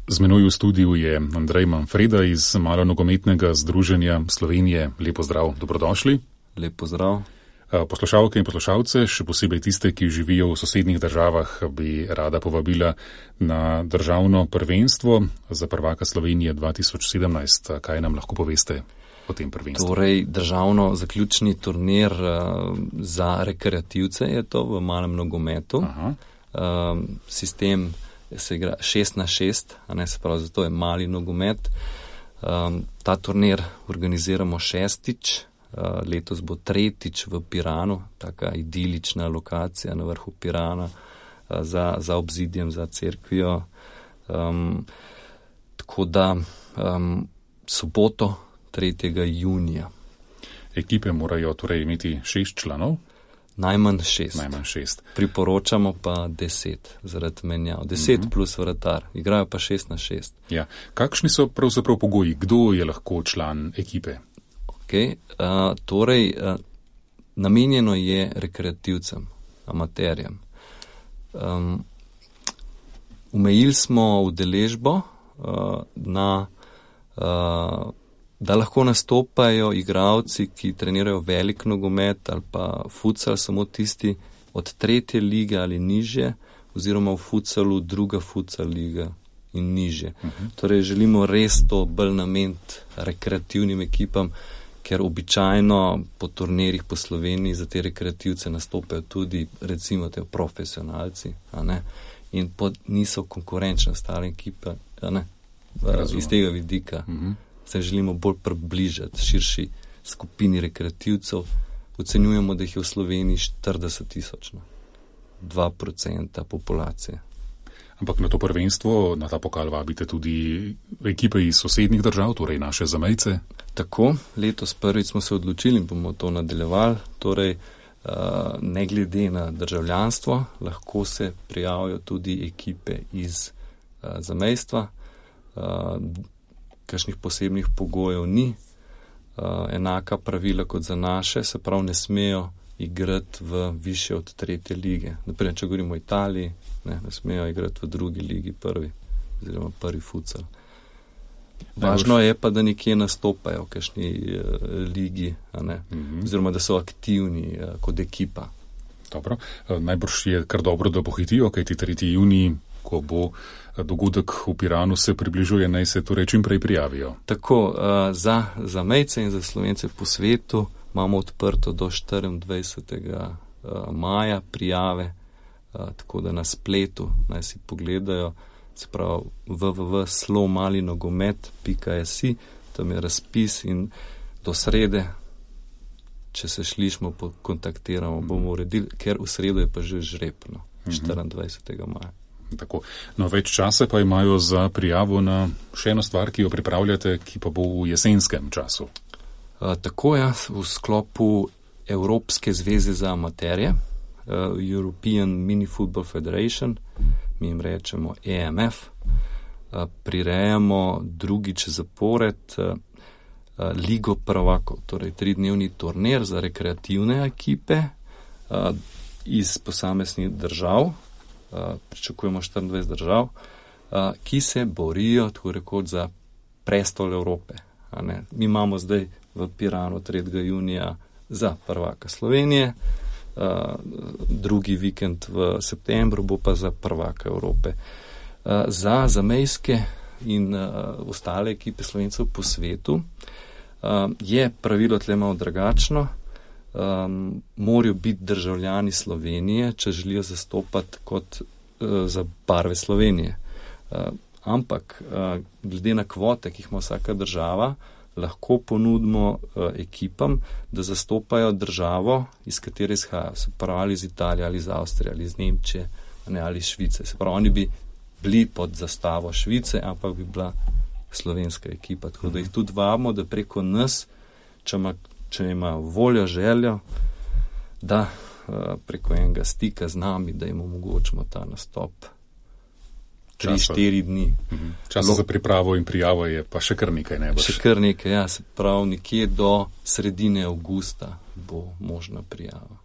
Z menoj v studiu je Andrej Manfreda iz Malonogometnega združenja Slovenije. Lep pozdrav, dobrodošli. Lep pozdrav. Poslušalke in poslušalce, še posebej tiste, ki živijo v sosednjih državah, bi rada povabila na državno prvenstvo za prvaka Slovenije 2017. Kaj nam lahko poveste o tem prvenstvu? Torej, državno zaključni turnir za rekreativce je to v malem nogometu. Sistem se igra 6-6, se pravi, zato je mali nogomet. Ta turnir organiziramo 6. Letos bo 3. v Piranu, taka idilična lokacija na vrhu Pirana, za obzidjem, za cerkvijo. Tako da soboto 3. junija. Ekipe morajo torej imeti 6 članov? Najmanj 6. Priporočamo pa 10 zaradi menjav. 10 plus vratar. Igrajo pa 6-6. Ja. Kakšni so pravzaprav pogoji? Kdo je lahko član ekipe? Torej, namenjeno je rekreativcem, amaterjem. Omejili smo udeležbo da lahko nastopajo igralci, ki trenirajo velik nogomet ali pa futsal, samo tisti od 3. lige ali nižje, oziroma v futsalu druga futsal liga in nižje. Torej, želimo res to bolj nameniti rekreativnim ekipam, ker običajno po turnirjih po Sloveniji za te rekreativce nastopajo tudi recimo te profesionalci, in niso konkurenčne ostale ekipe, iz tega vidika. Se želimo bolj približati širši skupini rekreativcev. Ocenjujemo, da jih je v Sloveniji 40,000, 2% populacije. Ampak na to prvenstvo, na ta pokal vabite tudi ekipe iz sosednjih držav, torej naše zamejce? Tako, letos prvič smo se odločili in bomo to nadaljevali. Torej, ne glede na državljanstvo, lahko se prijavijo tudi ekipe iz zamejstva. Kakšnih posebnih pogojev ni. Enaka pravila kot za naše, se pravi, ne smejo igrati v više od 3. lige. Naprej, če govorimo o Italiji, ne smejo igrati v 2. ligi oziroma prvi futsal. Važno je pa, da nekje nastopajo v kakšni ligi, oziroma da so aktivni kot ekipa. Dobro. Najbrž je kar dobro, da pohitijo, kajti 3. junij, ko bo dogodek v Piranu se približuje, naj se torej čim prej prijavijo. Tako, za zamejce in za Slovence po svetu imamo odprto do 24. maja prijave, tako da na spletu naj si pogledajo, se pravi www.slomalinogomet.si, tam je razpis in do srede, če se slišmo, kontaktiramo, bomo uredili, ker v sredo je pa že žreb, 24. maja. Tako. No, več časa pa imajo za prijavo na še eno stvar, ki jo pripravljate, ki pa bo v jesenskem času. Tako je, v sklopu Evropske zveze za amaterje, European Mini Football Federation, mi jim rečemo EMF, prirejamo drugič zapored Ligo prvakov, torej 3-dnevni turnir za rekreativne ekipe iz posameznih držav. Pričakujemo 24 držav, ki se borijo, tako rekoč, za prestol Evrope. Mi imamo zdaj v Piranu 3. junija za prvaka Slovenije, drugi vikend v septembru bo pa za prvaka Evrope. Za zamejske in ostale ekipe Slovencev po svetu je pravilo tle malo drugačno. Morajo biti državljani Slovenije, če želijo zastopati kot za barve Slovenije. Ampak glede na kvote, ki jih ima vsaka država, lahko ponudimo ekipam, da zastopajo državo, iz katere izhajajo. Se pravi, ali iz Italije, ali iz Avstrije, ali iz Nemčije, ali iz Švice. Se pravi, oni bi bili pod zastavo Švice, ampak bi bila slovenska ekipa. Tako da jih tudi vabimo, da preko nas, če ima voljo, željo, da preko enega stika z nami, da jim omogočimo ta nastop 3-4 dni. Časa za pripravo in prijavo je pa še kar nekaj, ne boš? Še kar nekaj, ja, se pravi, nekje do sredine avgusta bo možna prijava.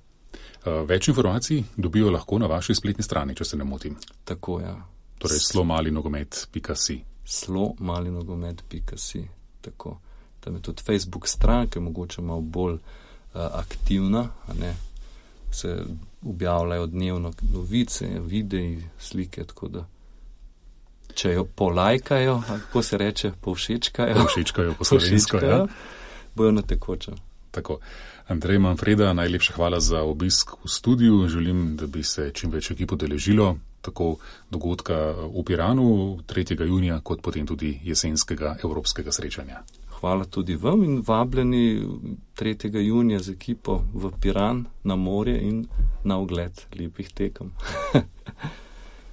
Več informacij dobijo lahko na vaši spletni strani, če se ne motim. Tako, ja. Torej slomalinogomet.si. slomali-nogomet.si. Tako. Tam je tudi Facebook stran, ki je mogoče malo bolj aktivna, se objavljajo dnevno novice, videi, slike, tako da če jo polajkajo, kako se reče, povšečkajo. Povšečkajo po slovensko, ja. Bojo na tekočem. Tako. Andrej Manfreda, najlepša hvala za obisk v studiu. Želim, da bi se čim več ekip udeležilo tako dogodka v Piranu 3. junija, kot potem tudi jesenskega evropskega srečanja. Hvala tudi vam in vabljeni 3. junija z ekipo v Piran na morje in na ogled lepih tekem.